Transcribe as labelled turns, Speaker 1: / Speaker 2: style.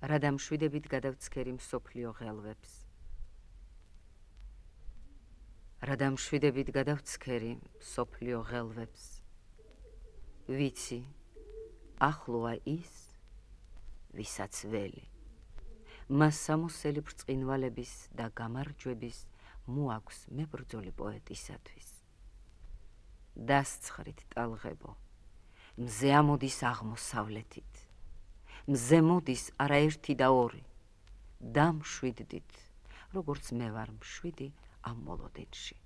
Speaker 1: რა დამშვიდებით გადავცქერი მსოფლიო ღელვებს. რა დამშვიდებით გადავცქერი მსოფლიო ღელვებს. ვიცი, ახლოა ის, ვისაც ველი. მას სამოსელი ბრწყინვალების და გამარჯვების მოაქვს მებრძოლი პოეტისათვის. დასცხრით ტალღებო, მზე ამოდის აღმოსავლეთით. მზე მოდის არაერთი და ორი. დამშვიდდით, როგორც მე ვარ მშვიდი ამ მოლოდინში.